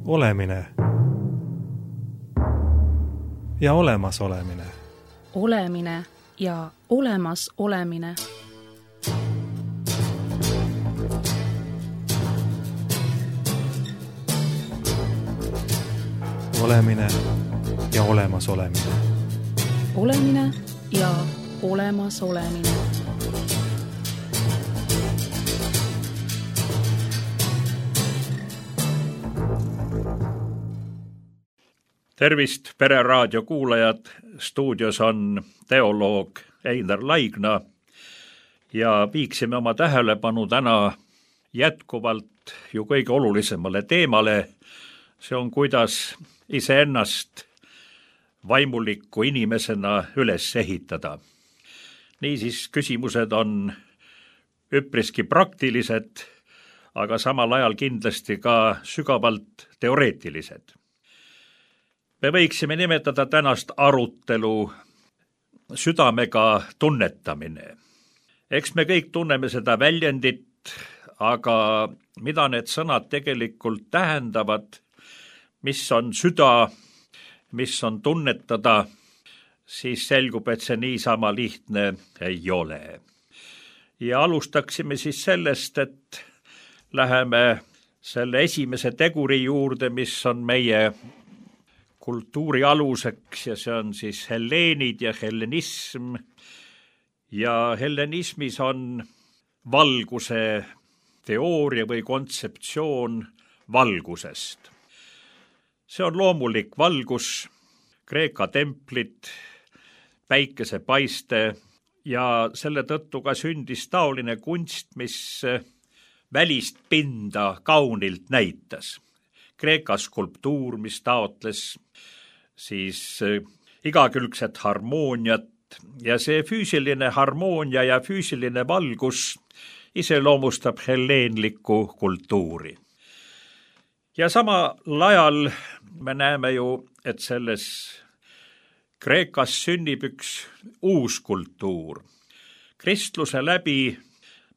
Olemine ja olemasolemine. Olemine ja olemas olemine. Olemine ja olemas olemine. Olemine ja olemas olemine. Tervist, Pereraadio kuulajad! Stuudios on teoloog Einar Laigna ja viiksime oma tähelepanu täna jätkuvalt ju kõige olulisemale teemale. See on, kuidas iseennast vaimuliku inimesena üles ehitada. Niisiis, küsimused on üpriski praktilised, aga samal ajal kindlasti ka sügavalt teoreetilised. Me võiksime nimetada tänast arutelu südamega tunnetamine. Eks me kõik tunneme seda väljendit, aga mida need sõnad tegelikult tähendavad, mis on süda, mis on tunnetada, siis selgub, et see niisama lihtne ei ole. Ja alustaksime siis sellest, et läheme selle esimese teguri juurde, mis on meie kultuuri aluseks ja see on siis helleenid ja hellenism. Ja hellenismis on valguse teooria või kontseptsioon valgusest. See on loomulik valgus, Kreeka templid, päikesepaiste ja selle tõttu ka sündis taoline kunst, mis välist pinda kaunilt näitas. Kreeka skulptuur, mis taotles siis igakülgset harmooniat ja see füüsiline harmoonia ja füüsiline valgus iseloomustab helleenlikku kultuuri. Ja samal ajal me näeme ju, et selles Kreekas sünnib üks uus kultuur. Kristluse läbi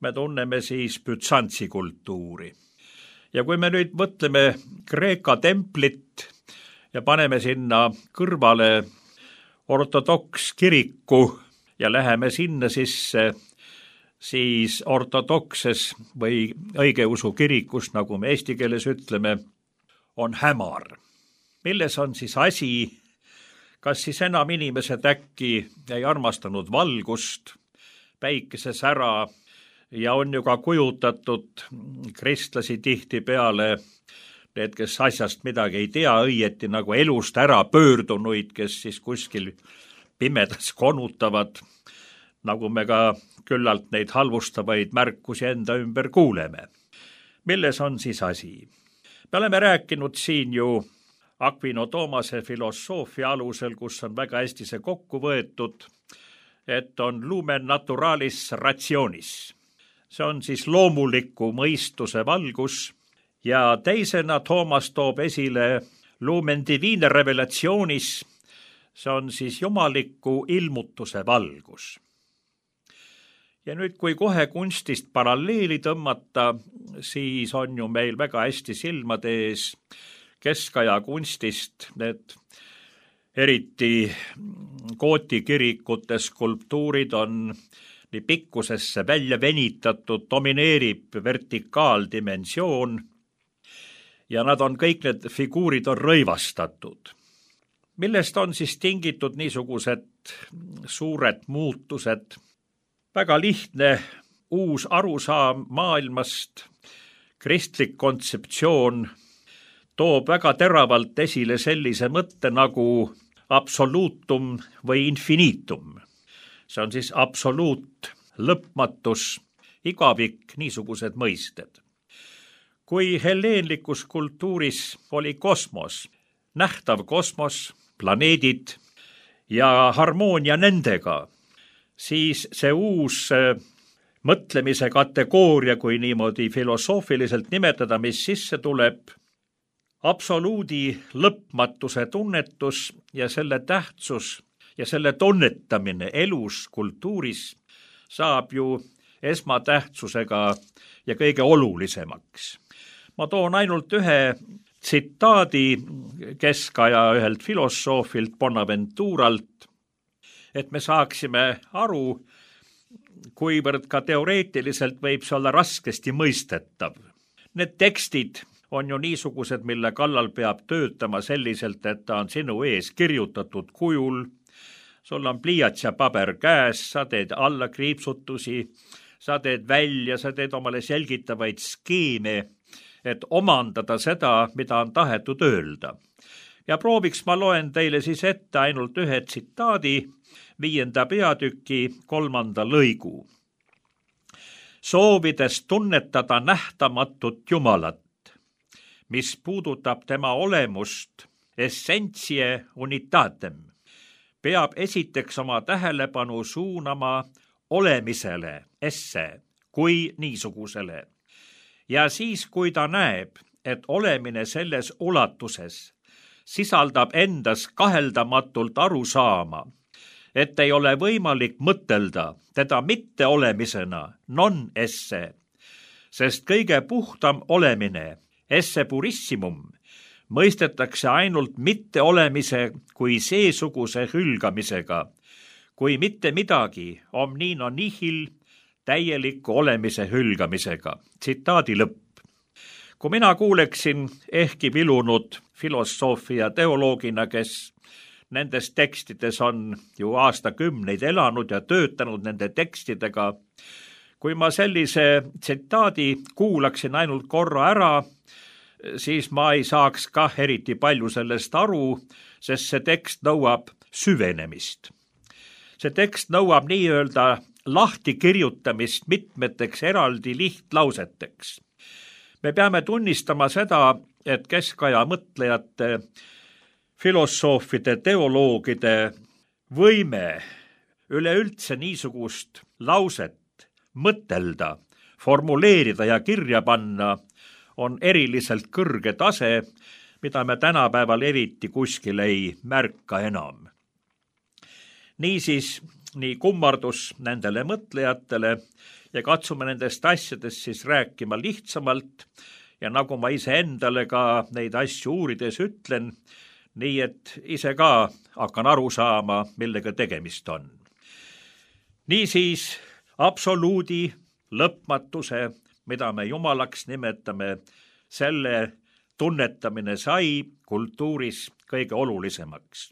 me tunneme siis Bütsantsi kultuuri. Ja kui me nüüd mõtleme Kreeka templit ja paneme sinna kõrvale ortodokskiriku ja läheme sinna sisse, siis ortodokses või õigeusu kirikus, nagu me eesti keeles ütleme, on hämar. Milles on siis asi? Kas siis enam inimesed äkki ei armastanud valgust, päikesesära ja on ju ka kujutatud kristlasi tihti peale, need, kes asjast midagi ei tea, õieti nagu elust ära pöördunuid, kes siis kuskil pimedas konutavad, nagu me ka küllalt neid halvustavaid märkusi enda ümber kuuleme. Milles on siis asi? Me oleme rääkinud siin ju Aquino Tomase filosoofia alusel, kus on väga hästi see kokku võetud, et on lumen naturalis rationis. See on siis loomuliku mõistuse valgus ja teisena Toomas toob esile lumen divine revelationis, see on siis jumaliku ilmutuse valgus. Ja nüüd, kui kohe kunstist paralleeli tõmmata, siis on ju meil väga hästi silmade ees keskaja kunstist, need eriti Gooti kirikute skulptuurid on nii pikkusesse välja venitatud, domineerib vertikaaldimensioon ja nad on kõik, need figuurid on rõivastatud. Millest on siis tingitud niisugused suured muutused? Väga lihtne uus arusaam maailmast, kristlik kontseptsioon toob väga teravalt esile sellise mõtte nagu absoluutum või infinitum. See on siis absoluut, lõpmatus, igavik, niisugused mõisted. Kui helleenlikus kultuuris oli kosmos, nähtav kosmos, planeedid ja harmoonia nendega, siis see uus mõtlemise kategooria, kui niimoodi filosoofiliselt nimetada, mis sisse tuleb, absoluudi lõpmatuse tunnetus ja selle tähtsus ja selle tunnetamine elus, kultuuris saab ju esmatähtsusega ja kõige olulisemaks. Ma toon ainult ühe tsitaadi keskaja ühelt filosoofilt Bonaventuralt, et me saaksime aru, kuivõrd ka teoreetiliselt võib see olla raskesti mõistetav. Need tekstid on ju niisugused, mille kallal peab töötama selliselt, et ta on sinu ees kirjutatud kujul, sul on pliiats ja paber käes, sa teed alla kriipsutusi, sa teed välja, sa teed omale selgitavaid skeeme, et omandada seda, mida on tahetud öelda. Ja prooviks ma loen teile siis ette ainult ühe tsitaadi 5. peatüki 3. lõigu. Soovides tunnetada nähtamatut Jumalat, mis puudutab tema olemust essentsie unitatem, peab esiteks oma tähelepanu suunama olemisele, esse, kui niisugusele. Ja siis, kui ta näeb, et olemine selles ulatuses sisaldab endas kaheldamatult arusaama, et ei ole võimalik mõtelda teda mitteolemisena, non esse, sest kõige puhtam olemine, esse purissimum, mõistetakse ainult mitteolemise kui seesuguse hülgamisega, kui mitte midagi omnino nihil täieliku olemise hülgamisega. Tsitaadi lõpp. Kui mina kuuleksin ehkki vilunud filosoofia teoloogina, kes nendes tekstides on ju aastakümneid elanud ja töötanud nende tekstidega, kui ma sellise tsitaadi kuulaksin ainult korra ära, siis ma ei saaks kah eriti palju sellest aru, sest see tekst nõuab süvenemist. See tekst nõuab nii-öelda lahtikirjutamist mitmeteks eraldi lihtlauseteks. Me peame tunnistama seda, et keskaja mõtlejate, filosoofide, teoloogide võime üleüldse niisugust lauset mõtelda, formuleerida ja kirja panna on eriliselt kõrge tase, mida me tänapäeval eriti kuskil ei märka enam. Niisiis, nii kummardus nendele mõtlejatele ja katsume nendest asjadest siis rääkima lihtsamalt ja nagu ma ise endale ka neid asju uurides ütlen, nii et ise ka hakkan aru saama, millega tegemist on. Niisiis, absoluudi lõpmatuse, mida me jumalaks nimetame, selle tunnetamine sai kultuuris kõige olulisemaks.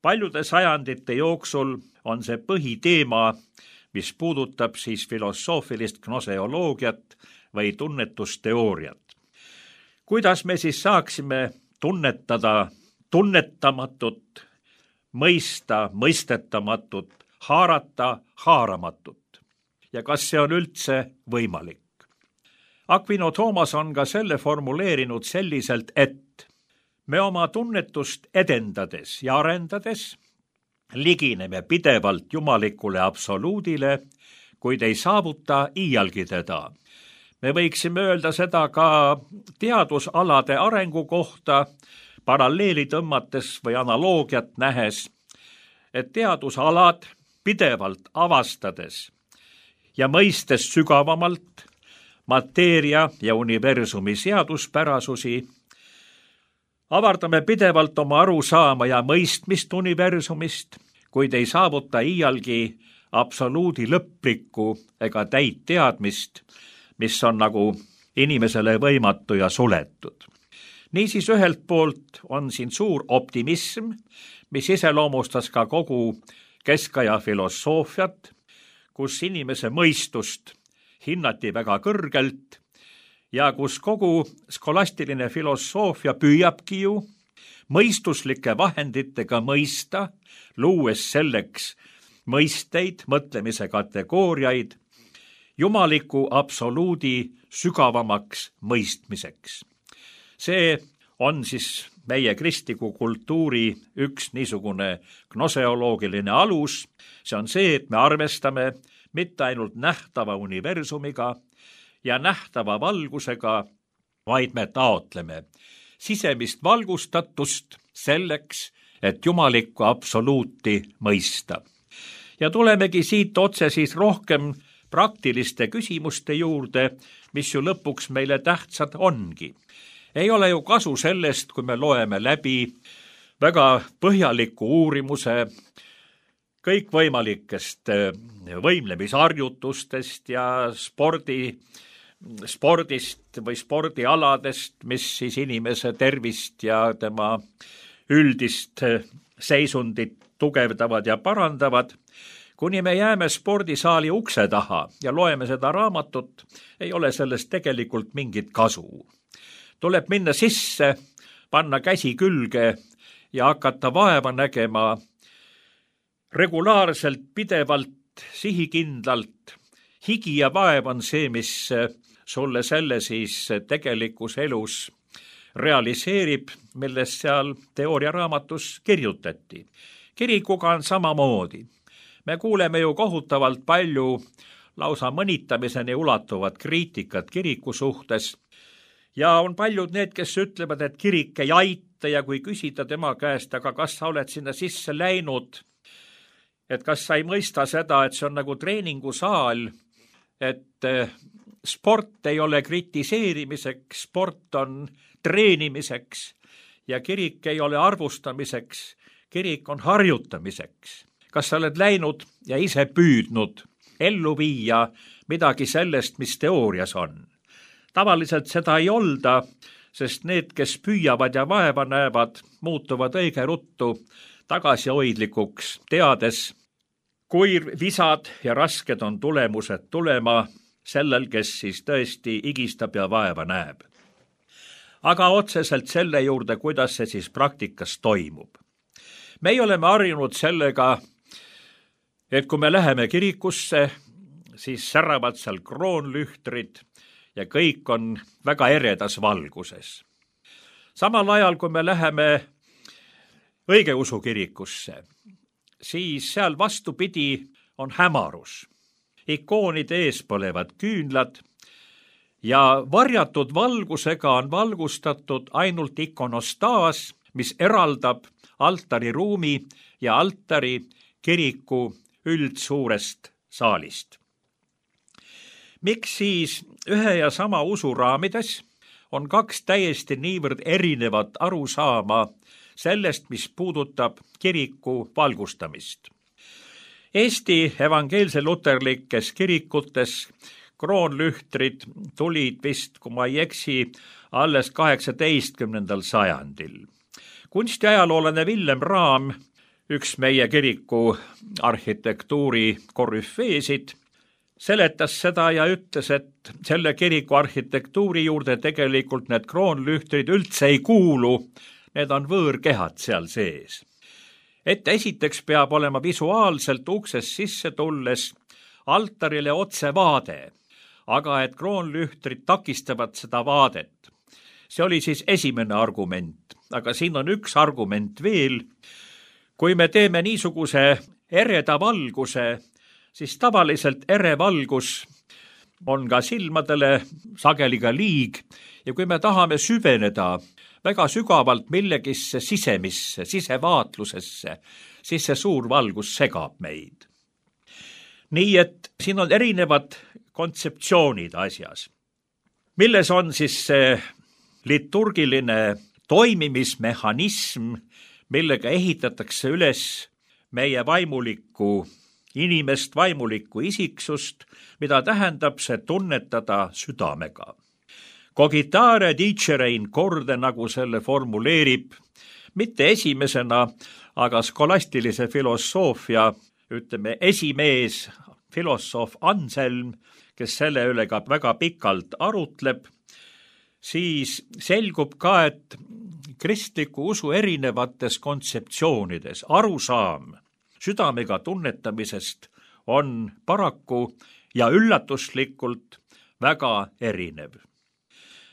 Paljude sajandite jooksul on see põhiteema, mis puudutab siis filosoofilist gnoseoloogiat või tunnetusteooriat. Kuidas me siis saaksime tunnetada tunnetamatut, mõista mõistetamatut, haarata haaramatut? Ja kas see on üldse võimalik? Aquino Thomas on ka selle formuleerinud selliselt, et me oma tunnetust edendades ja arendades ligineme pidevalt jumalikule absoluudile, kuid ei saavuta iialgi teda. Me võiksime öelda seda ka teadusalade arengu kohta, paralleeli tõmmates või analoogiat nähes, et teadusalad pidevalt avastades ja mõistes sügavamalt mateeria ja universumi seaduspärasusi, avardame pidevalt oma arusaama ja mõistmist universumist, kuid ei saavuta iialgi absoluudi lõplikku ega täit teadmist, mis on nagu inimesele võimatu ja suletud. Niisiis ühelt poolt on siin suur optimism, mis iseloomustas ka kogu keskaja filosoofiat, kus inimese mõistust hinnati väga kõrgelt ja kus kogu skolastiline filosoofia püüabki ju mõistuslike vahenditega mõista, luues selleks mõisteid, mõtlemise kategooriaid, jumaliku absoluudi sügavamaks mõistmiseks. See on siis meie kristliku kultuuri üks niisugune gnoseoloogiline alus. See on see, et me arvestame mitte ainult nähtava universumiga ja nähtava valgusega, vaid me taotleme sisemist valgustatust selleks, et jumalikku absoluuti mõista. Ja tulemegi siit otse siis rohkem praktiliste küsimuste juurde, mis ju lõpuks meile tähtsad ongi. Ei ole ju kasu sellest, kui me loeme läbi väga põhjaliku uurimuse kõikvõimalikest võimlemisharjutustest ja spordist või spordialadest, mis siis inimese tervist ja tema üldist seisundit tugevdavad ja parandavad. Kuni me jääme spordisaali ukse taha ja loeme seda raamatut, ei ole sellest tegelikult mingit kasu. Tuleb minna sisse, panna käsi külge ja hakata vaeva nägema regulaarselt, pidevalt, sihikindlalt. Higi ja vaev on see, mis sulle selle siis tegelikus elus realiseerib, millest seal teooriaraamatus kirjutati. Kirikuga on samamoodi. Me kuuleme ju kohutavalt palju lausa mõnitamiseni ulatuvat kriitikat kiriku suhtes ja on paljud need, kes ütlevad, et kirik ei aita ja kui küsida tema käest, aga kas sa oled sinna sisse läinud, et kas sa ei mõista seda, et see on nagu treeningusaal, et sport ei ole kritiseerimiseks, sport on treenimiseks ja kirik ei ole arvustamiseks, kirik on harjutamiseks. Kas sa oled läinud ja ise püüdnud ellu viia midagi sellest, mis teoorias on? Tavaliselt seda ei olda, sest need, kes püüavad ja vaeva näevad, muutuvad õige ruttu tagasihoidlikuks, teades, kui visad ja rasked on tulemused tulema sellel, kes siis tõesti igistab ja vaeva näeb. Aga otseselt selle juurde, kuidas see siis praktikas toimub. Meie oleme harjunud sellega, et kui me läheme kirikusse, siis säravad seal kroonlühtrid ja kõik on väga eredas valguses. Samal ajal, kui me läheme õigeusu kirikusse, siis seal vastupidi on hämarus. Ikoonide ees põlevad küünlad ja varjatud valgusega on valgustatud ainult ikonostaas, mis eraldab altariruumi ja altari kiriku üldsuurest saalist. Miks siis ühe ja sama usu raamides on kaks täiesti niivõrd erinevat arusaama sellest, mis puudutab kiriku valgustamist? Eesti evangeelse luterlikes kirikutes kroonlühtrid tulid vist, kui ma ei eksi, alles 18. sajandil. Kunstiajaloolane Villem Raam, üks meie kiriku arhitektuuri korüfeesid, seletas seda ja ütles, et selle kiriku arhitektuuri juurde tegelikult need kroonlühtrid üldse ei kuulu, need on võõrkehad seal sees. Et esiteks peab olema visuaalselt uksest sisse tulles altarile otse vaade, aga et kroonlühtrid takistavad seda vaadet. See oli siis esimene argument, aga siin on üks argument veel. Kui me teeme niisuguse ereda valguse, siis tavaliselt ere valgus on ka silmadele sageli ka liig ja kui me tahame süveneda väga sügavalt millegisse sisemisse, sisevaatlusesse, siis see suur valgus segab meid. Nii et siin on erinevad kontseptsioonid asjas. Milles on siis see liturgiline toimimismehhanism, millega ehitatakse üles meie vaimulikku inimest, vaimulikku isiksust, mida tähendab see tunnetada südamega. Cogitare dicere in corde, nagu selle formuleerib, mitte esimesena, aga skolastilise filosoofia, ütleme, esimees, filosoof Anselm, kes selle üle ka väga pikalt arutleb, siis selgub ka, et kristliku usu erinevates kontseptsioonides arusaam südamega tunnetamisest on paraku ja üllatuslikult väga erinev.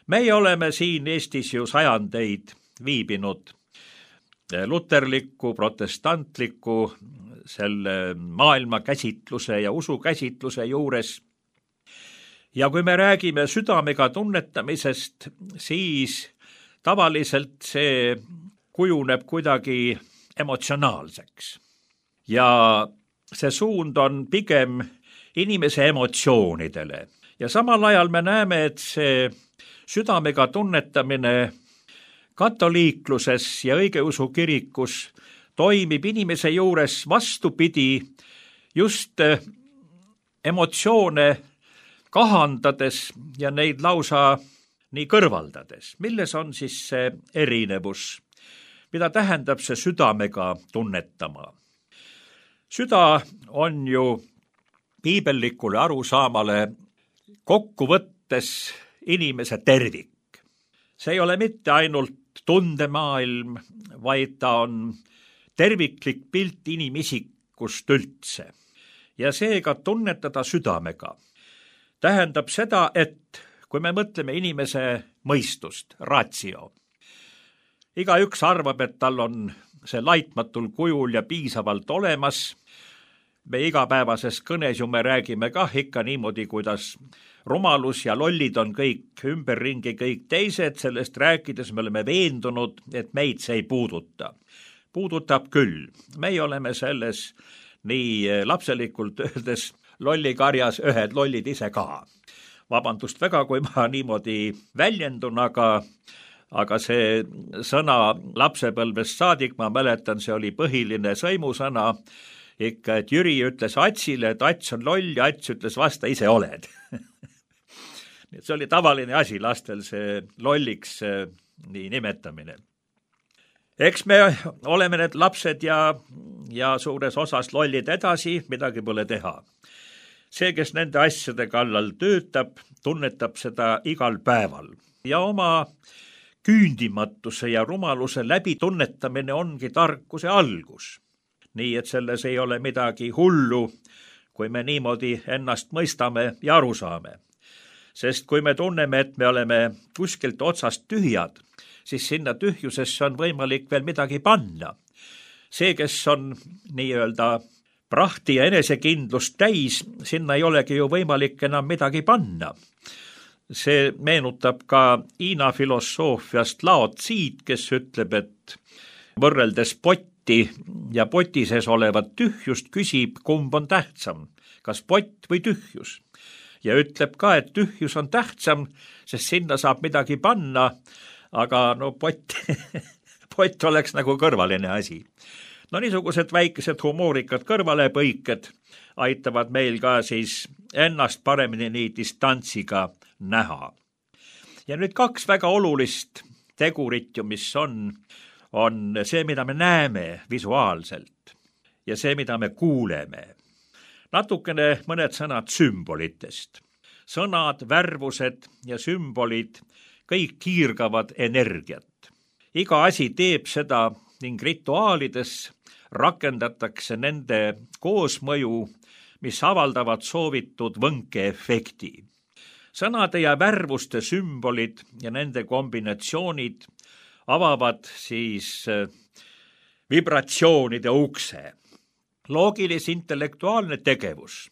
Meie oleme siin Eestis ju sajandeid viibinud luterliku, protestantliku, selle maailmakäsitluse ja usukäsitluse juures. Ja kui me räägime südamega tunnetamisest, siis tavaliselt see kujuneb kuidagi emotsionaalseks. Ja see suund on pigem inimese emotsioonidele. ja samal ajal me näeme, et see südamega tunnetamine katoliikluses ja õigeusu kirikus toimib inimese juures vastupidi, just emotsioone kahandades ja neid lausa nii kõrvaldades. Milles on siis see erinevus? Mida tähendab see südamega tunnetama? Süda on ju piibellikule arusaamale kokkuvõttes inimese tervik. See ei ole mitte ainult tundemaailm, vaid ta on terviklik pilt inimisikust üldse. Ja seega tunnetada südamega tähendab seda, et kui me mõtleme inimese mõistust, ratio, igaüks arvab, et tal on see laitmatul kujul ja piisavalt olemas. Me igapäevases kõnes ju me räägime kah ikka niimoodi, kuidas rumalus ja lollid on kõik ümberringi, kõik teised, sellest rääkides me oleme veendunud, et meid see ei puuduta. Puudutab küll. Meie oleme selles nii lapselikult öeldes lollikarjas ühed lollid ise ka. Vabandust väga, kui ma niimoodi väljendun, aga see sõna lapsepõlvest saadik, ma mäletan, see oli põhiline sõimusõna ikka, et Jüri ütles Atsile, et Ats on loll ja Ats ütles vasta, ise oled. See oli tavaline asi lastel, see lolliks nii nimetamine. Eks me oleme need lapsed ja suures osas lollid edasi, midagi pole teha. See, kes nende asjade kallal töötab, tunnetab seda igal päeval. Ja oma küündimatuse ja rumaluse läbi tunnetamine ongi tarkuse algus. Nii, et selles ei ole midagi hullu, kui me niimoodi ennast mõistame ja aru saame. Sest kui me tunneme, et me oleme kuskilt otsast tühjad, siis sinna tühjusesse on võimalik veel midagi panna. See, kes on nii-öelda prahti ja enesekindlust täis, sinna ei olegi ju võimalik enam midagi panna. See meenutab ka Hiina filosoofiast Lao Tziid, kes ütleb, et võrreldes potti ja poti sees olevat tühjust küsib, kumb on tähtsam, kas pott või tühjus. Ja ütleb ka, et tühjus on tähtsam, sest sinna saab midagi panna, aga no pott oleks nagu kõrvaline asi. No niisugused väikesed humoorikad kõrvalepõiked aitavad meil ka siis ennast paremini nii distantsiga näha. Ja nüüd kaks väga olulist tegurit, mis on see, mida me näeme visuaalselt ja see, mida me kuuleme. Natukene mõned sõnad sümbolitest. Sõnad, värvused ja sümbolid kõik kiirgavad energiat. Iga asi teeb seda ning rituaalides rakendatakse nende koosmõju, mis avaldavad soovitud võnkeefekti. Sõnade ja värvuste sümbolid ja nende kombinatsioonid avavad siis vibratsioonide ukse. Loogilis-intellektuaalne tegevus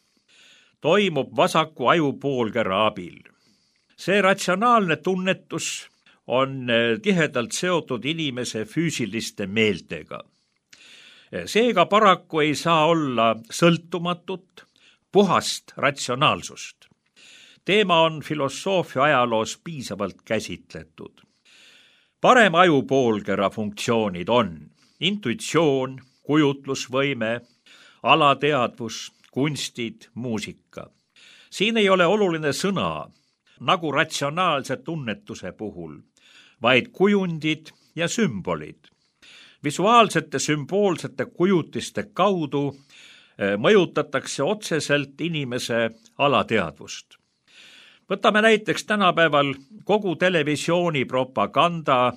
toimub vasaku ajupoolkera abil. See ratsionaalne tunnetus on tihedalt seotud inimese füüsiliste meeltega. Seega paraku ei saa olla sõltumatut, puhast ratsionaalsust. Teema on filosoofia ajaloos piisavalt käsitletud. Parem ajupoolkera funktsioonid on intuitsioon, kujutlusvõime, alateadvus, kunstid, muusika. Siin ei ole oluline sõna, nagu ratsionaalse tunnetuse puhul, vaid kujundid ja sümbolid. Visuaalsete sümboolsete kujutiste kaudu mõjutatakse otseselt inimese alateadvust. Võtame näiteks tänapäeval kogu televisiooni propaganda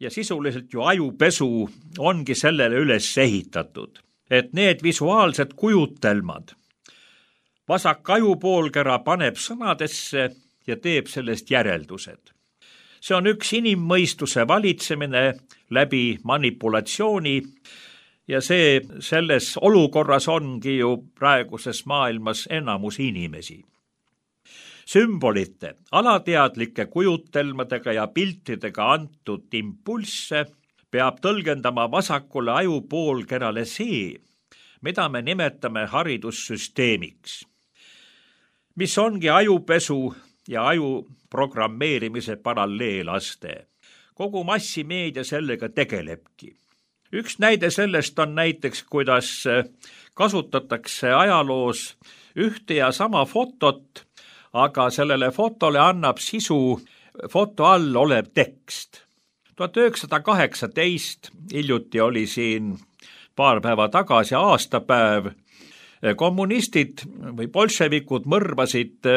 ja sisuliselt ju ajupesu ongi sellele üles ehitatud, et need visuaalsed kujutelmad vasak ajupoolkera paneb sõnadesse ja teeb sellest järeldused. See on üks inimmõistuse valitsemine läbi manipulatsiooni ja see selles olukorras ongi ju praeguses maailmas enamus inimesi. Sümbolite, alateadlike kujutelmadega ja piltidega antud impulsse peab tõlgendama vasakule ajupoolkerale see, mida me nimetame haridussüsteemiks. mis ongi ajupesu ja aju programmeerimise paralleelaste. Kogu massimeedia sellega tegelebki. Üks näide sellest on näiteks, kuidas kasutatakse ajaloos ühte ja sama fotot, aga sellele fotole annab sisu foto all olev tekst. 1918 hiljuti oli siin paar päeva tagasi aastapäev. Kommunistid või bolševikud mõrvasid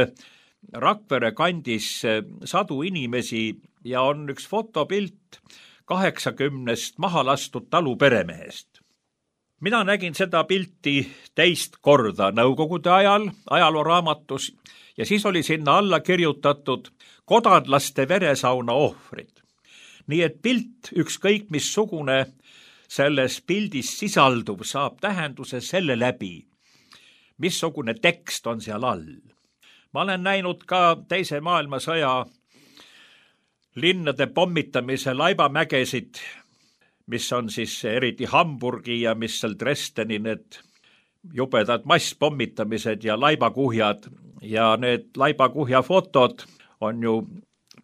Rakvere kandis sadu inimesi ja on üks fotopilt 80 maha lastud taluperemehest. Mina nägin seda pilti teist korda Nõukogude ajal ajalooraamatus ja siis oli sinna alla kirjutatud kodanlaste veresauna ohvrid. Nii et pilt, ükskõik missugune selles pildis sisalduv, saab tähenduse selle läbi, missugune tekst on seal all. Ma olen näinud ka Teise maailmasõja linnade pommitamise laibamägesid, mis on siis eriti Hamburgi ja mis seal Dresdeni need jubedad masspommitamised ja laibakuhjad. Ja need laibakuhja fotod on ju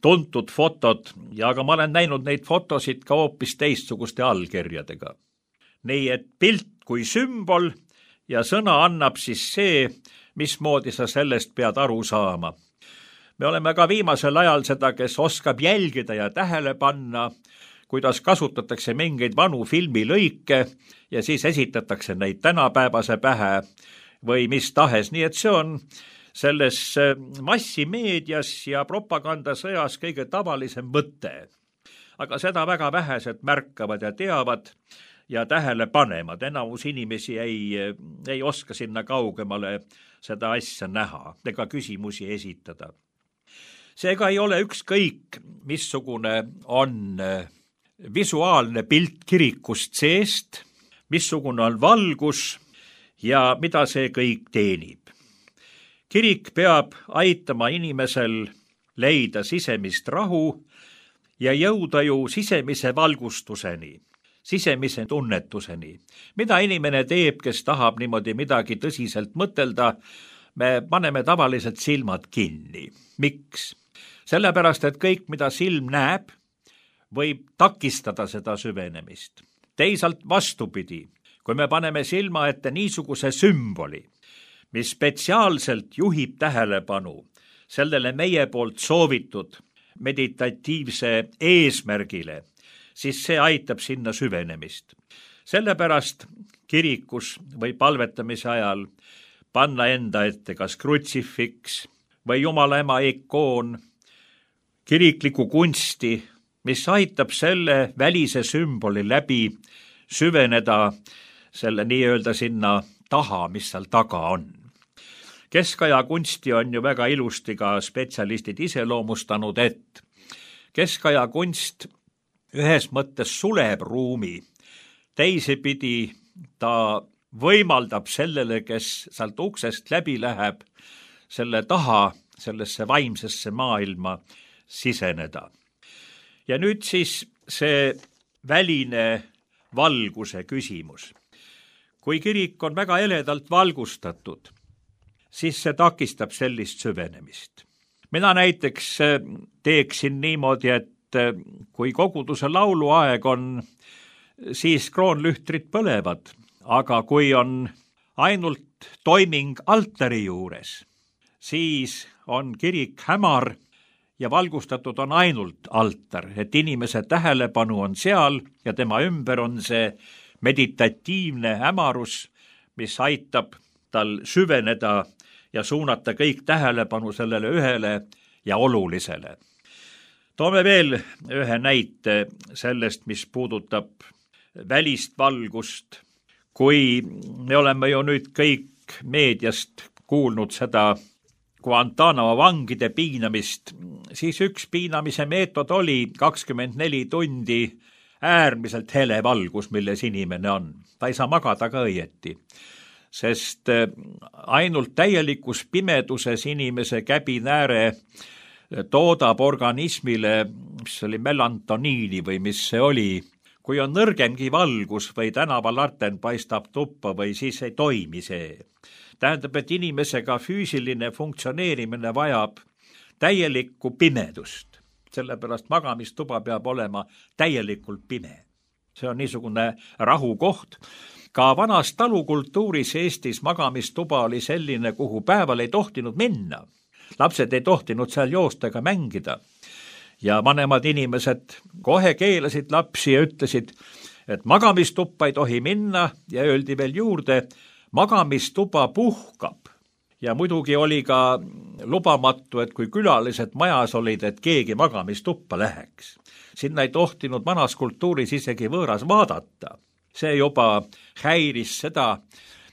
tuntud fotod, ja aga ma olen näinud neid fotosid ka hoopis teistsuguste allkirjadega. Nii et pilt kui sümbol ja sõna annab siis see, mismoodi sa sellest pead aru saama. Me oleme ka viimasel ajal seda, kes oskab jälgida ja tähele panna, kuidas kasutatakse mingeid vanu filmilõike ja siis esitatakse neid tänapäevase pähe või mis tahes. Nii et see on selles massimeedias ja propagandasõjas kõige tavalisem mõte. Aga seda väga vähesed märkavad ja teavad ja tähele panemad. Enamus inimesi ei oska sinna kaugemale seda asja näha ega küsimusi esitada. Seega ei ole ükskõik, missugune on visuaalne pilt kirikust seest, missugune on valgus ja mida see kõik teenib. Kirik peab aitama inimesel leida sisemist rahu ja jõuda ju sisemise valgustuseni, sisemise tunnetuseni. Mida inimene teeb, kes tahab niimoodi midagi tõsiselt mõtelda, me paneme tavaliselt silmad kinni. Miks? Sellepärast, et kõik, mida silm näeb, võib takistada seda süvenemist. Teisalt vastupidi, kui me paneme silma ette niisuguse sümboli, mis spetsiaalselt juhib tähelepanu sellele meie poolt soovitud meditatiivse eesmärgile, siis see aitab sinna süvenemist. Sellepärast kirikus või palvetamise ajal panna enda ette kas krutsifiks või Jumala ema ikoon, kirikliku kunsti, mis aitab selle välise sümboli läbi süveneda selle nii-öelda sinna taha, mis seal taga on. Keskaja kunsti on ju väga ilusti ka spetsialistid iseloomustanud, et keskaja kunst ühes mõttes suleb ruumi, teisipidi ta võimaldab sellele, kes sealt uksest läbi läheb, selle taha, sellesse vaimsesse maailma siseneda. Ja nüüd siis see väline valguse küsimus. Kui kirik on väga eledalt valgustatud, siis see takistab sellist süvenemist. Mina näiteks teeksin niimoodi, et kui koguduse lauluaeg on, siis kroonlühtrid põlevad, aga kui on ainult toiming altari juures, siis on kirik hämar ja valgustatud on ainult altar, et inimese tähelepanu on seal ja tema ümber on see meditatiivne hämarus, mis aitab tal süveneda ja suunata kõik tähelepanu sellele ühele ja olulisele. Toome veel ühe näite sellest, mis puudutab välist valgust. Kui me oleme ju nüüd kõik meediast kuulnud seda Guantanamo vangide piinamist, siis üks piinamise meetod oli 24 tundi äärmiselt hele valgus, milles inimene on. Ta ei saa magada ka õieti, sest ainult täielikus pimeduses inimese käbinääre toodab organismile, mis oli melantoniini või mis see oli. Kui on nõrgemgi valgus või tänavalarten paistab tuppa või siis ei toimi see. tähendab, et inimesega füüsiline funktsioneerimine vajab täielikku pimedust. Sellepärast magamistuba peab olema täielikult pime. See on niisugune rahukoht. Ka vanas talukultuuris Eestis magamistuba oli selline, kuhu päeval ei tohtinud minna. Lapsed ei tohtinud seal joosta ega mängida. Ja vanemad inimesed kohe keelasid lapsi ja ütlesid, et magamistuppa ei tohi minna ja öeldi veel juurde, magamistuba puhkab. Ja muidugi oli ka lubamatu, et kui külalised majas olid, et keegi magamistuppa läheks. Sinna ei tohtinud vanas kultuuris isegi võõras vaadata. See juba häiris seda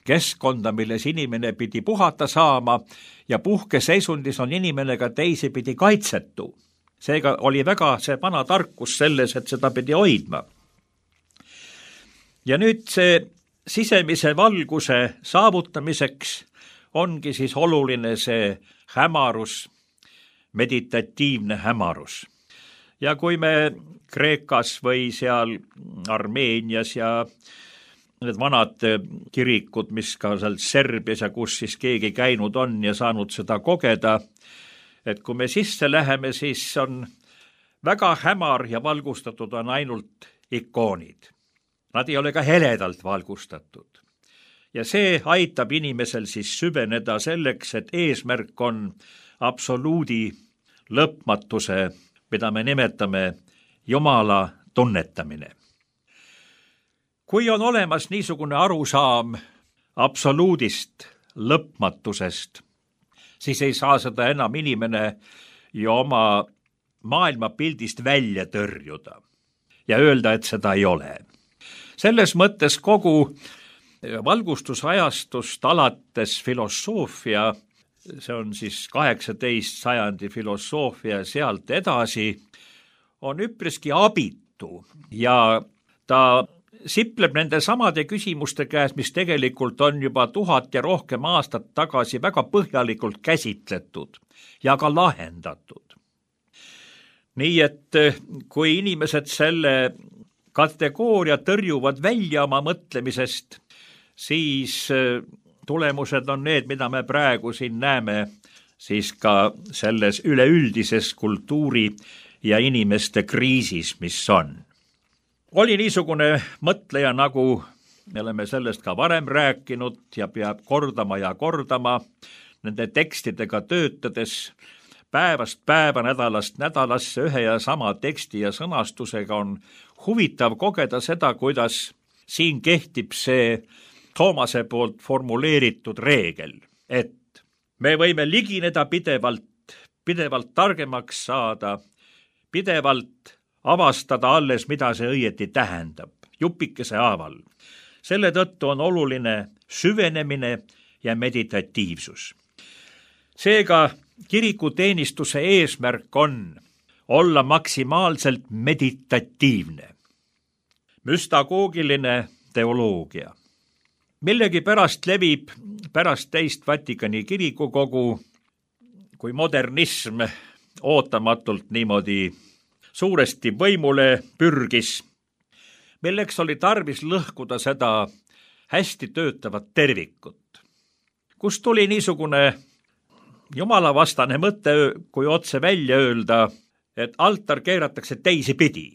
keskkonda, milles inimene pidi puhata saama ja puhkeseisundis on inimene ka teisipidi kaitsetu. Seega oli väga see vana tarkus selles, et seda pidi hoidma. Ja nüüd see sisemise valguse saavutamiseks ongi siis oluline see hämarus, meditatiivne hämarus. Ja kui me Kreekas või seal Armeenias ja need vanad kirikud, mis ka seal Serbias ja kus siis keegi käinud on ja saanud seda kogeda, et kui me sisse läheme, siis on väga hämar ja valgustatud on ainult ikoonid. Nad ei ole ka heledalt valgustatud. Ja see aitab inimesel siis süveneda selleks, et eesmärk on absoluudi lõpmatuse, mida me nimetame Jumala tunnetamine. Kui on olemas niisugune arusaam absoluudist, lõpmatusest, siis ei saa seda enam inimene ju oma maailmapildist välja tõrjuda ja öelda, et seda ei ole. Selles mõttes kogu valgustusajastust alates filosoofia, see on siis 18. sajandi filosoofia sealt edasi, on üpriski abitu ja ta sipleb nende samade küsimuste käes, mis tegelikult on juba 1000 ja rohkem aastat tagasi väga põhjalikult käsitletud ja ka lahendatud. Nii et kui inimesed selle kategooria tõrjuvad välja oma mõtlemisest, siis tulemused on need, mida me praegu siin näeme siis ka selles üleüldises kultuuri ja inimeste kriisis, mis on. Oli niisugune mõtleja, nagu me oleme sellest ka varem rääkinud ja peab kordama ja kordama, nende tekstidega töötades päevast päeva, nädalast nädalasse ühe ja sama teksti ja sõnastusega on huvitav kogeda seda, kuidas siin kehtib see Toomase poolt formuleeritud reegel, et me võime ligineda pidevalt targemaks saada, pidevalt avastada alles, mida see õieti tähendab, jupikese haaval. Selle tõttu on oluline süvenemine ja meditatiivsus. Seega kirikuteenistuse eesmärk on olla maksimaalselt meditatiivne, müstagoogiline teoloogia. Millegi pärast levib pärast teist Vatikani kirikukogu, kui modernism ootamatult niimoodi suuresti võimule pürgis, milleks oli tarvis lõhkuda seda hästi töötavat tervikut. Kust tuli niisugune jumalavastane mõte, kui otse välja öelda, et altar keeratakse teisipidi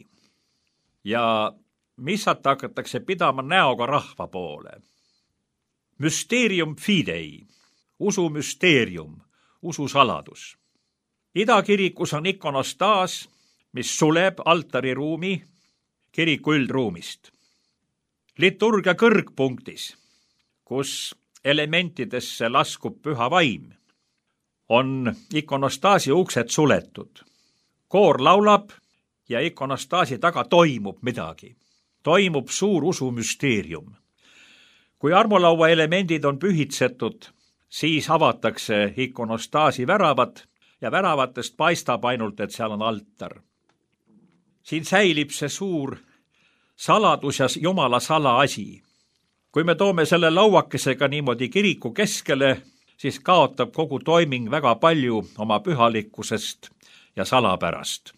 ja missat hakatakse pidama näoga rahva poole. Mysterium fidei, usu müsteerium, usu saladus. Idakirikus on ikonostaas, mis suleb altariruumi kiriku üldruumist. Liturgia kõrgpunktis, kus elementidesse laskub püha vaim, on ikonostaasi uksed suletud. Koor laulab ja ikonostaasi taga toimub midagi. Toimub suur usumüsteerium. Kui armulaua elemendid on pühitsetud, siis avatakse ikonostaasi väravad ja väravatest paistab ainult, et seal on altar. Siin säilib see suur saladus ja Jumala salaasi. Kui me toome selle lauakesega niimoodi kiriku keskele, siis kaotab kogu toiming väga palju oma pühalikkusest ja salapärast.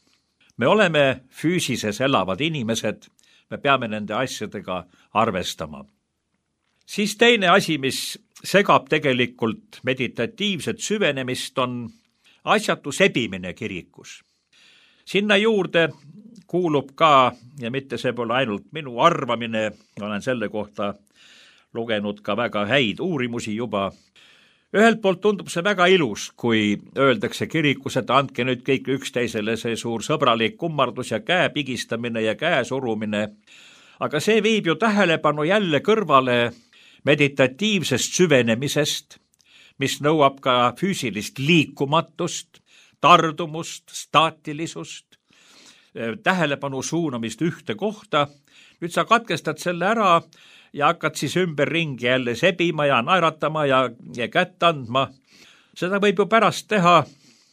Me oleme füüsises elavad inimesed, me peame nende asjadega arvestama. Siis teine asi, mis segab tegelikult meditatiivset süvenemist, on asjatu sebimine kirikus. Sinna juurde kuulub ka, ja mitte see pole ainult minu arvamine, olen selle kohta lugenud ka väga häid uurimusi juba. Ühelt poolt tundub see väga ilus, kui öeldakse kirikus, et andke nüüd kõik üksteisele see suur sõbralik kummardus ja käe pigistamine ja käe surumine. Aga see viib ju tähelepanu jälle kõrvale meditatiivsest süvenemisest, mis nõuab ka füüsilist liikumatust, tardumust, staatilisust, tähelepanu suunamist ühte kohta. Nüüd sa katkestad selle ära ja hakkad siis ümberringi jälle sebima ja naeratama ja kätt andma. Seda võib ju pärast teha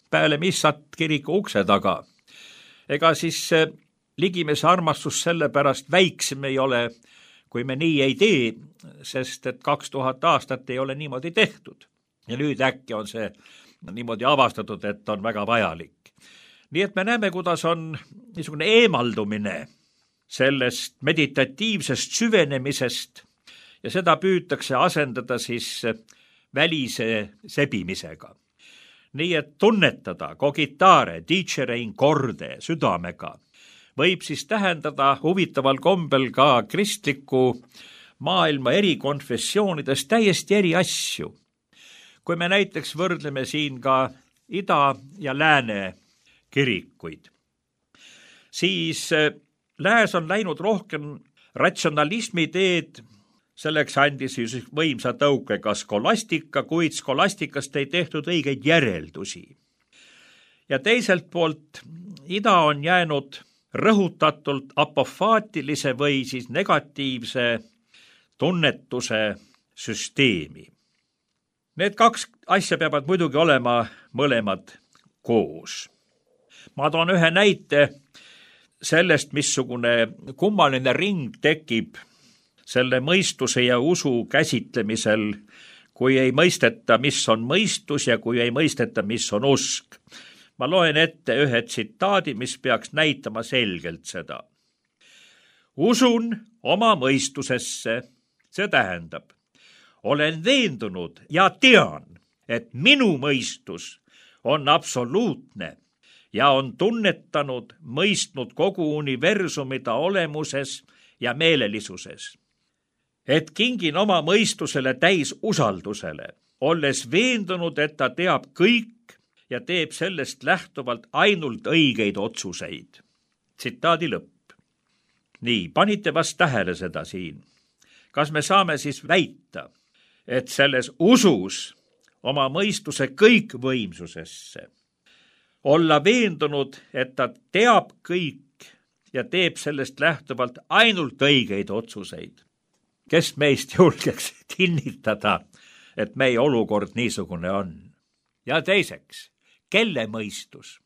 peale missat kiriku ukse taga. Ega siis ligimese armastus selle pärast väiksem ei ole, kui me nii ei tee, sest et 2000 aastat ei ole niimoodi tehtud. Ja nüüd äkki on see niimoodi avastatud, et on väga vajalik. Nii et me näeme, kuidas on niisugune eemaldumine sellest meditatiivsest süvenemisest ja seda püütakse asendada siis välise sebimisega. Nii et tunnetada cogitare, dicere in corde südamega võib siis tähendada huvitaval kombel ka kristliku maailma eri konfessioonides täiesti eri asju. Kui me näiteks võrdleme siin ka ida ja lääne kirikuid, siis lääs on läinud rohkem ratsionalismi teed, selleks andis võimsa tõuke ka skolastika, kuid skolastikast ei tehtud õigeid järeldusi. Ja teiselt poolt ida on jäänud rõhutatult apofaatilise või siis negatiivse tunnetuse süsteemi. Need kaks asja peavad muidugi olema mõlemad koos. Ma toon ühe näite sellest, missugune kummaline ring tekib selle mõistuse ja usu käsitlemisel, kui ei mõisteta, mis on mõistus ja kui ei mõisteta, mis on usk. Ma loen ette ühe tsitaadi, mis peaks näitama selgelt seda. Usun oma mõistusesse, see tähendab, olen veendunud ja tean, et minu mõistus on absoluutne ja on tunnetanud, mõistnud kogu universumida olemuses ja meelelisuses. Et kingin oma mõistusele täis usaldusele, olles veendunud, et ta teab kõik ja teeb sellest lähtuvalt ainult õigeid otsuseid. Tsitaadi lõpp. Nii, panite vast tähele seda siin. Kas me saame siis väita, et selles usus oma mõistuse kõikvõimsusesse olla veendunud, et ta teab kõik ja teeb sellest lähtuvalt ainult õigeid otsuseid? Kes meist julgeks kinnitada, et meie olukord niisugune on? Ja teiseks, kelle mõistus?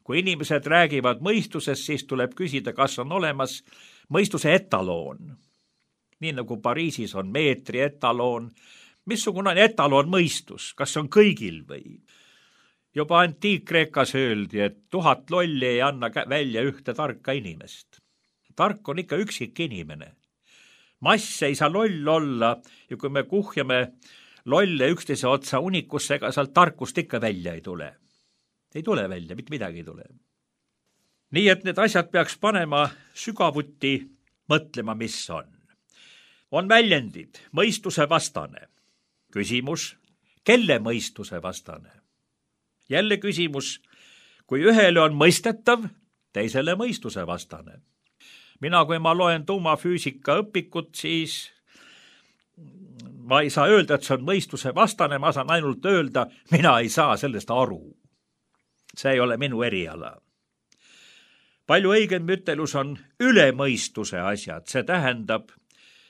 Kui inimesed räägivad mõistusest, siis tuleb küsida, kas on olemas mõistuse etaloon. Nii nagu Pariisis on meetri etaloon. Missugune on etaloon mõistus? Kas on kõigil või? Juba Antiik-Kreekas öeldi, et 1000 lolli ei anna välja ühte tarka inimest. Tark on ikka üksik inimene. Mass ei saa loll olla ja kui me kuhjame lolle üksteise otsa unikusse, ega sealt tarkust ikka välja ei tule. Ei tule välja, mitte midagi ei tule. Nii et need asjad peaks panema sügavuti mõtlema, mis on. On väljendid, mõistuse vastane. Küsimus, kelle mõistuse vastane? Jälle küsimus, kui ühele on mõistetav, teisele mõistuse vastane. Mina, kui ma loen tuumafüüsika õpikut, siis ma ei saa öelda, et see on mõistuse vastane, ma saan ainult öelda, mina ei saa sellest aru. See ei ole minu eriala. Palju õigem ütelus on ülemõistuse asjad, see tähendab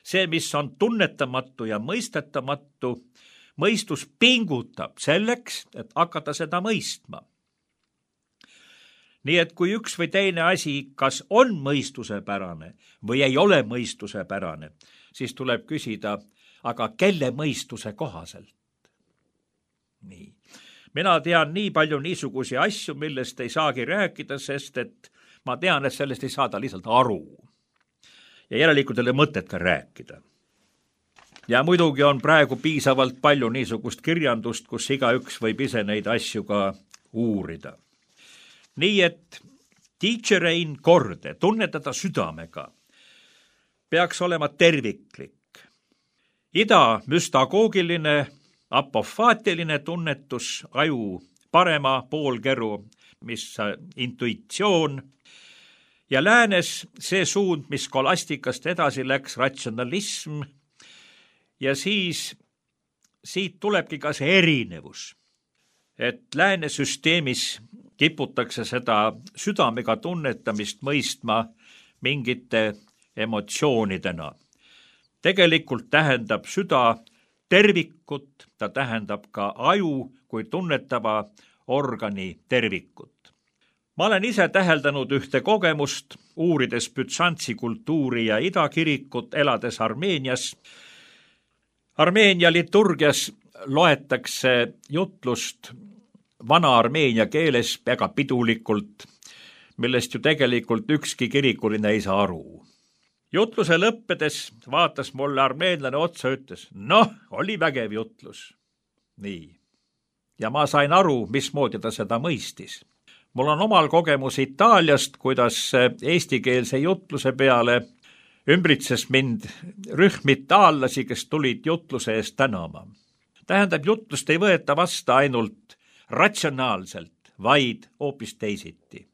see, mis on tunnetamatu ja mõistetamatu, mõistus pingutab selleks, et hakata seda mõistma. Nii et kui üks või teine asi, kas on mõistusepärane või ei ole mõistusepärane, siis tuleb küsida, aga kelle mõistuse kohaselt? Nii. Mina tean nii palju niisugusi asju, millest ei saagi rääkida, sest et ma tean, et sellest ei saada lihtsalt aru. Ja järelikult ei ole mõtet ka rääkida. Ja muidugi on praegu piisavalt palju niisugust kirjandust, kus igaüks võib ise neid asju ka uurida. Nii et teacherein korde, tunnetada südamega, peaks olema terviklik. Ida müstagoogiline, apofaatiline tunnetus, aju parema poolkeru, mis intuitsioon, ja läänes see suund, mis skolastikast edasi läks, ratsionalism, ja siis siit tulebki ka see erinevus, et lääne süsteemis kiputakse seda südamega tunnetamist mõistma mingite emotsioonidena. Tegelikult tähendab süda tervikut, ta tähendab ka aju kui tunnetava organi tervikut. Ma olen ise täheldanud ühte kogemust, uurides Bütsantsi kultuuri ja idakirikut, elades Armeenias. Armeenia liturgias loetakse jutlust vana armeenia keeles väga pidulikult, millest ju tegelikult ükski kirikuline ei saa aru. Jutluse lõppedes vaatas mulle armeenlane otsa, ütles, oli vägev jutlus. Nii. Ja ma sain aru, mismoodi ta seda mõistis. Mul on omal kogemus Itaaliast, kuidas eestikeelse jutluse peale ümbritses mind rühm itaallasi, kes tulid jutluse eest tänama. Tähendab, jutlust ei võeta vasta ainult ratsionaalselt, vaid hoopis teisiti.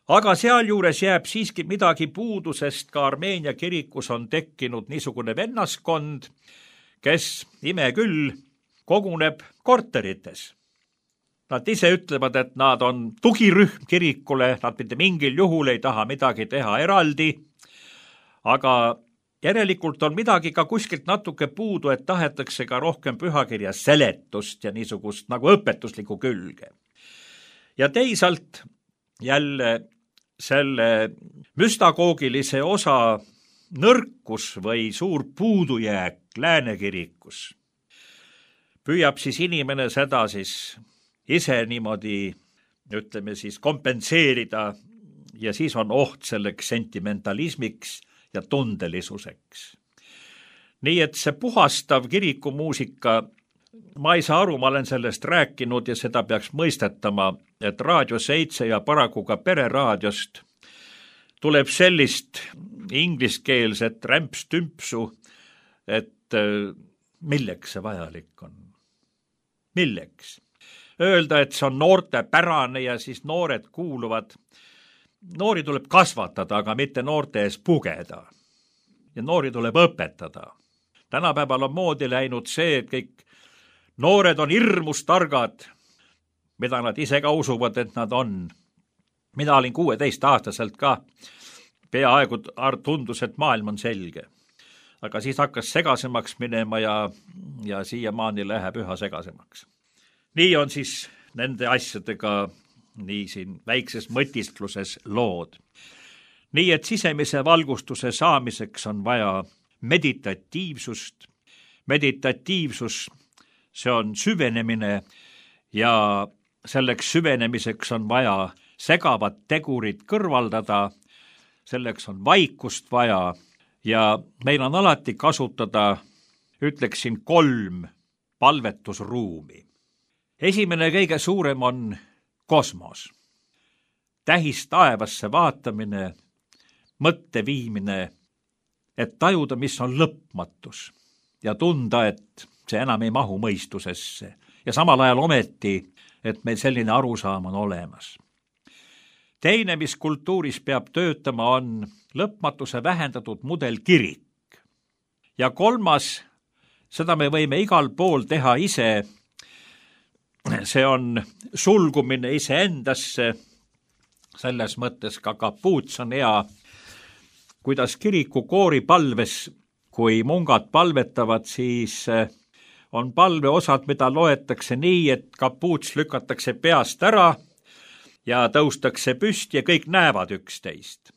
Aga sealjuures jääb siiski midagi puudu, sest ka Armeenia kirikus on tekkinud niisugune vennaskond, kes, ime küll, koguneb korterites. Nad ise ütlevad, et nad on tugirühm kirikule, nad mitte mingil juhul ei taha midagi teha eraldi, aga järelikult on midagi ka kuskilt natuke puudu, et tahetakse ka rohkem pühakirja seletust ja niisugust nagu õpetuslikku külge. Ja teisalt jälle selle müstagoogilise osa nõrkus või suur puudujääk lääne kirikus püüab siis inimene seda siis ise niimoodi, ütleme siis, kompenseerida ja siis on oht selleks sentimentalismiks ja tundelisuseks. Nii et see puhastav kirikumuusika, ma ei saa aru, ma olen sellest rääkinud ja seda peaks mõistetama, et Raadio 7 ja paraku ka Pereraadiost tuleb sellist ingliskeelset rämpstümpsu, et milleks see vajalik on? Milleks? Öelda, et see on noorte pärane ja siis noored kuuluvad. Noori tuleb kasvatada, aga mitte noorte ees pugeda. Ja noori tuleb õpetada. Tänapäeval on moodi läinud see, et kõik noored on hirmus targad, mida nad ise ka usuvad, et nad on. Mina olin 16-aastaselt ka. Peaaegu tundus, et maailm on selge. Aga siis hakkas segasemaks minema ja siiamaani läheb üha segasemaks. Nii on siis nende asjadega nii siin väikses mõtiskluses lood. Nii et sisemise valgustuse saamiseks on vaja meditatiivsust. Meditatiivsus, see on süvenemine ja selleks süvenemiseks on vaja segavad tegurid kõrvaldada, selleks on vaikust vaja ja meil on alati kasutada, ütleksin, 3 palvetusruumi. Esimene kõige suurem on kosmos. Tähis taevasse vaatamine, mõtte viimine, et tajuda, mis on lõpmatus ja tunda, et see enam ei mahu mõistusesse ja samal ajal ometi, et meil selline arusaam on olemas. Teine, mis kultuuris peab töötama, on lõpmatuse vähendatud mudelkirik. Ja 3, seda me võime igal pool teha ise, see on sulgumine iseendasse, selles mõttes ka kapuuts on hea, kuidas kiriku kooripalves, kui mungad palvetavad, siis on palveosad, mida loetakse nii, et kapuuts lükatakse peast ära ja tõustakse püsti ja kõik näevad üksteist.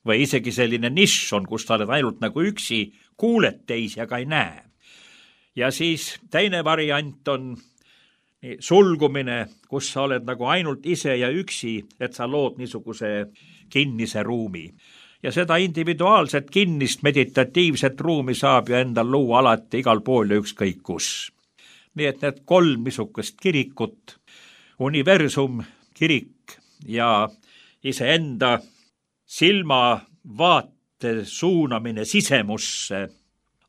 Või isegi selline nišš on, kus sa oled ainult nagu üksi, kuuled teisi, aga ei näe. Ja siis teine variant on sulgumine, kus sa oled nagu ainult ise ja üksi, et sa lood niisuguse kinnise ruumi. ja seda individuaalset kinnist meditatiivset ruumi saab ju endal luua alati igal pool ja ükskõik kus. Nii et need 3 niisugust kirikut, universum, kirik ja iseenda silmavaate suunamine sisemusse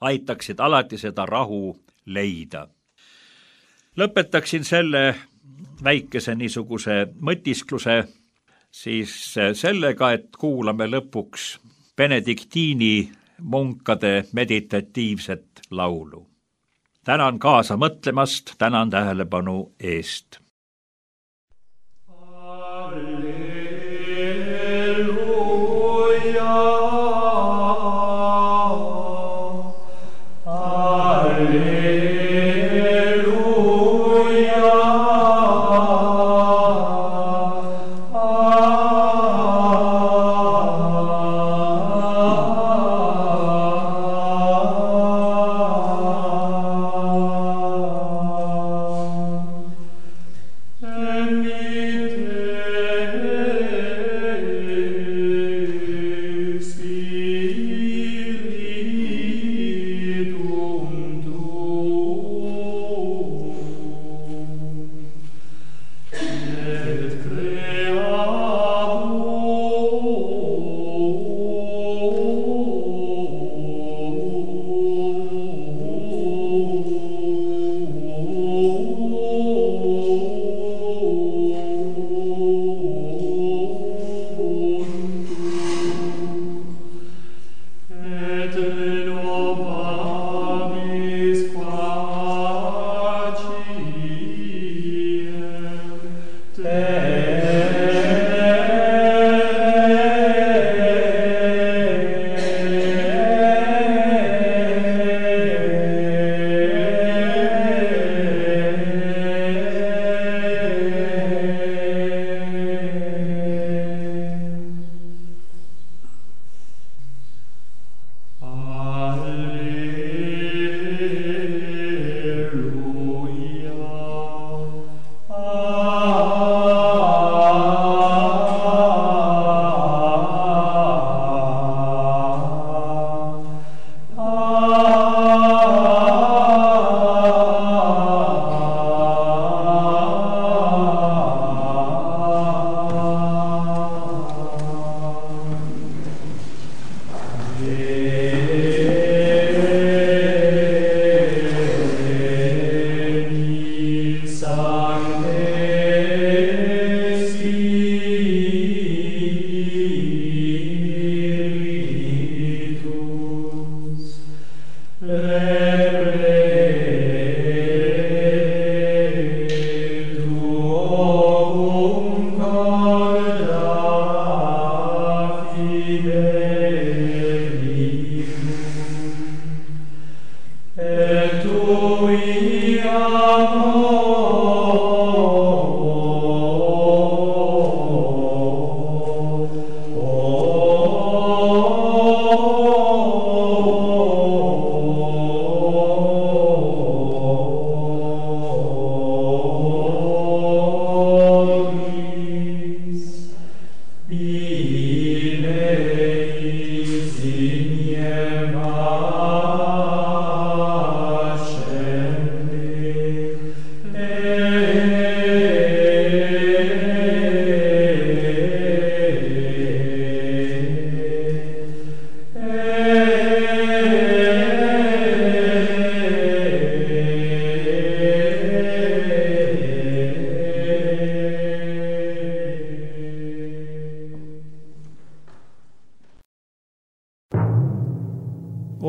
aitaksid alati seda rahu leida. Lõpetaksin selle väikese niisuguse mõtiskluse siis sellega, et kuulame lõpuks benediktiini munkade meditatiivset laulu. Tänan kaasa mõtlemast, tänan tähelepanu eest.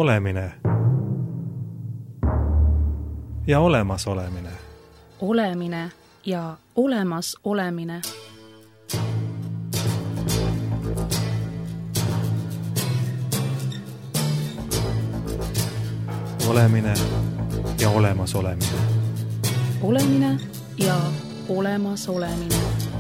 Olemine ja olemas olemine. Olemine ja olemas olemine. Olemine ja olemas olemine. Olemine ja olemas olemine.